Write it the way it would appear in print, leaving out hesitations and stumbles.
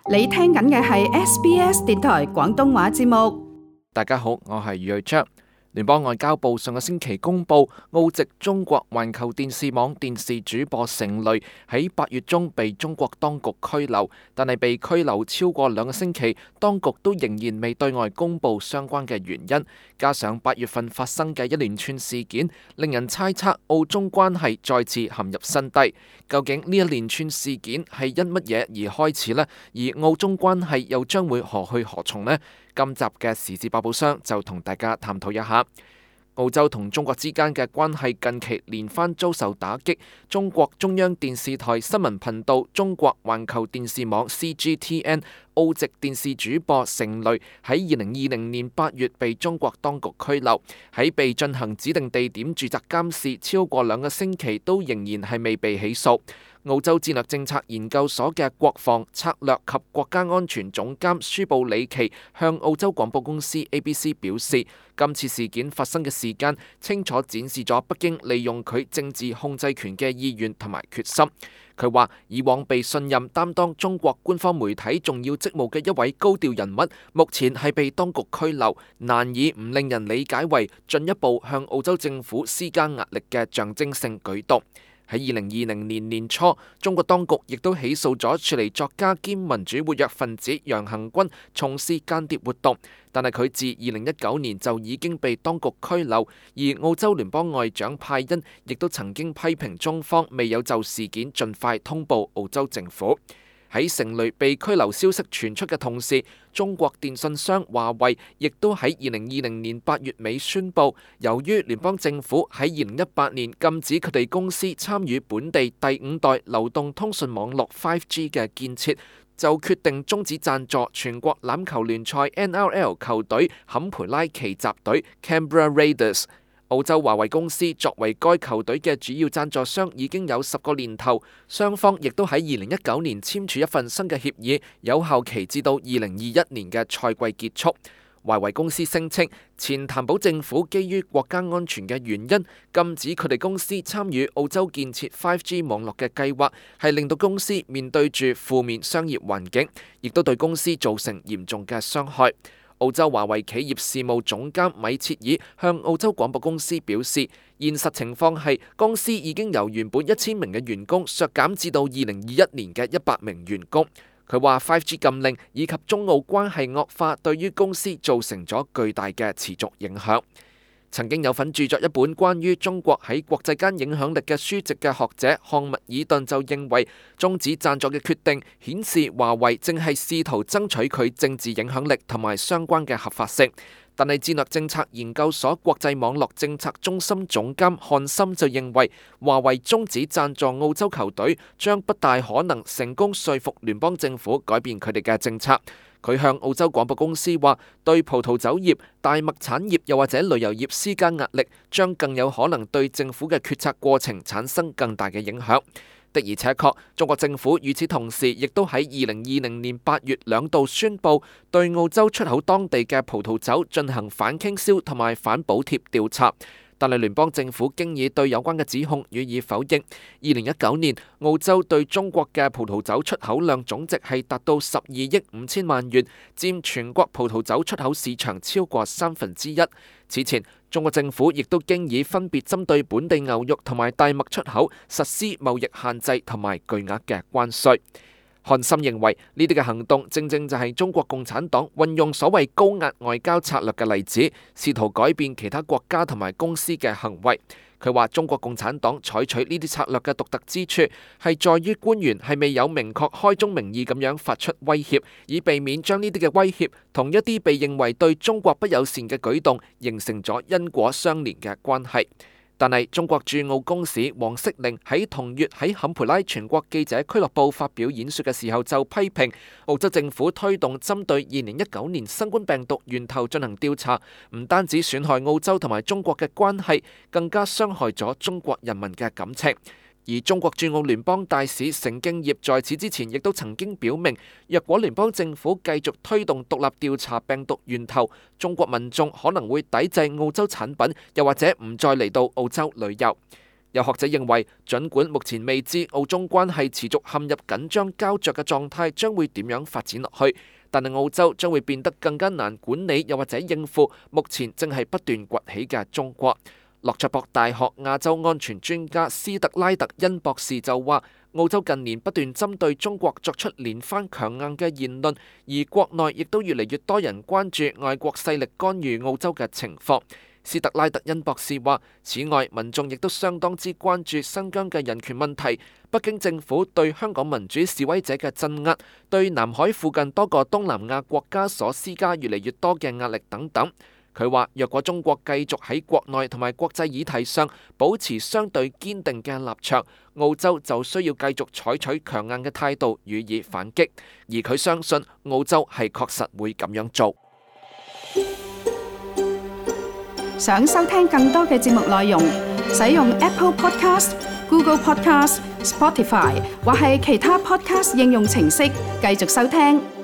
你聽緊嘅係 SBS 電台廣東話節目。大家好，我係余瑞章。聯邦外交部上個星期公布，澳籍中國環球電視網電視主播成蕾喺8月中被中國當局拘留，但係被拘留超過2個星期，當局都仍然未對外公布相關嘅原因。加上8月份發生嘅一連串事件，令人猜測澳中關係再次陷入新低。究竟呢一連串事件係因乜嘢而開始呢？而澳中關係又將會何去何從呢？今集嘅時事百寶箱就同大家探討一下。澳洲同中國之間嘅關係近期連番遭受打擊。中國中央電視台新聞頻道中國環球電視網 CGTN 澳籍電視主播成蕾喺2020年8月被中國當局拘留，喺被進行指定地點駐紮監視超過2個星期，都仍然係未被起訴。澳洲戰略政策研究所嘅國防策略及國家安全總監舒布里奇向澳洲廣播公司 ABC 表示，今次事件發生嘅時間清楚展示咗北京利用佢政治控制權嘅意願同埋決心。佢話，以往被信任擔當中國官方媒體重要職務嘅一位高調人物，目前係被當局拘留，難以唔令人理解為進一步向澳洲政府施加壓力嘅象徵性舉動。喺2020年年初，中國當局亦都起訴咗駐尼作家兼民主活躍分子楊恆軍從事間諜活動，但係佢自2019年就已經被當局拘留，而澳洲聯邦外長派恩亦都曾經批評中方未有就事件盡快通報澳洲政府。喺成蕾被拘留消息傳出嘅同時，中國電信商華為亦都喺2020年8月尾宣布，由於聯邦政府喺2018年禁止佢哋公司參與本地第5代流動通訊網絡 5G 嘅建設，就決定終止贊助全國欖球聯賽 NRL 球隊坎培拉奇襲隊 Canberra Raiders。澳洲華為公司作為該球隊嘅主要贊助商已經有10個年頭，雙方亦都喺2019年簽署一份新嘅協議，有效期至到2021年嘅賽季結束。華為公司聲稱，前譚寶政府基於國家安全嘅原因，禁止佢哋公司參與澳洲建設 5G 網絡嘅計劃，係令到公司面對住負面商業環境，亦都對公司造成嚴重嘅傷害。澳洲華為企業事務總監米切爾向澳洲廣播公司表示，現實情況係公司已經由原本1000名嘅員工削減至到2021年嘅100名員工。佢話 5G 禁令以及中澳關係惡化對於公司造成咗巨大嘅持續影響。曾經有份著作一本關於中國喺國際間影響力嘅書籍嘅學者漢密爾頓就認為，終止贊助嘅決定顯示華為正係試圖爭取佢政治影響力同埋相關嘅合法性。但係戰略政策研究所國際網絡政策中心總監漢森就認為，華為終止贊助澳洲球隊將不大可能成功說服聯邦政府改變佢哋嘅政策。佢向澳洲廣播公司話，對葡萄酒業、大麥產業又或者旅遊業施加壓力，將更有可能對政府嘅決策過程產生更大嘅影響。的而且確，中國政府與此同時亦都喺2020年8月2度宣布，對澳洲出口當地嘅葡萄酒進行反傾銷同埋反補貼調查。但係聯邦政府經已對有關嘅指控予以否認。2019年，澳洲對中國嘅葡萄酒出口量總值係達到12億5千萬元，佔全國葡萄酒出口市場超過1/3。此前，中國政府亦都經已分別針對本地牛肉同埋大麥出口實施貿易限制同埋巨額嘅關稅。漢森認為呢啲嘅行動正正就係中國共產黨運用所謂高壓外交策略嘅例子，試圖改變其他國家同埋公司嘅行為。佢話中國共產黨採取呢啲策略嘅獨特之處係在於官員係未有明確開宗明義咁樣發出威脅，以避免將呢啲嘅威脅同一啲被認為對中國不友善嘅舉動形成咗因果相連嘅關係。但係中國駐澳公使黃色寧喺同月喺坎培拉全國記者俱樂部發表演說嘅時候，就批評澳洲政府推動針對2019年新冠病毒源頭進行調查，唔單止損害澳洲同埋中國嘅關係，更加傷害咗中國人民嘅感情。而中國駐澳聯邦大使成敬業在此之前亦都曾經表明，若果聯邦政府繼續推動獨立調查病毒源頭，中國民眾可能會抵制澳洲產品，又或者唔再嚟到澳洲旅遊。有學者認為，儘管目前未知澳中關係持續陷入緊張膠着嘅狀態將會點樣發展落去，但係澳洲將會變得更加難管理，又或者應付目前正係不斷崛起嘅中國。諾塞博大學亞洲安全專家斯特拉特恩博士就話，澳洲近年不斷針對中國作出連番強硬嘅言論，而國內亦都越嚟越多人關注外國勢力干預澳洲嘅情況。斯特拉特恩博士話，此外，民眾亦都相當之關注新疆嘅人權問題，北京政府對香港民主示威者嘅鎮壓，對南海附近多個東南亞國家所施加越嚟越多嘅壓力等等。佢話，若果中國繼續喺國內同埋國際議題上保持相對堅定嘅立場，澳洲就需要繼續採取強硬嘅態度予以反擊，而佢相信澳洲係確實會咁樣做。想收聽更多嘅節目內容，使用 Apple Podcast、Google Podcast、Spotify 或係其他 Podcast 應用程式繼續收聽。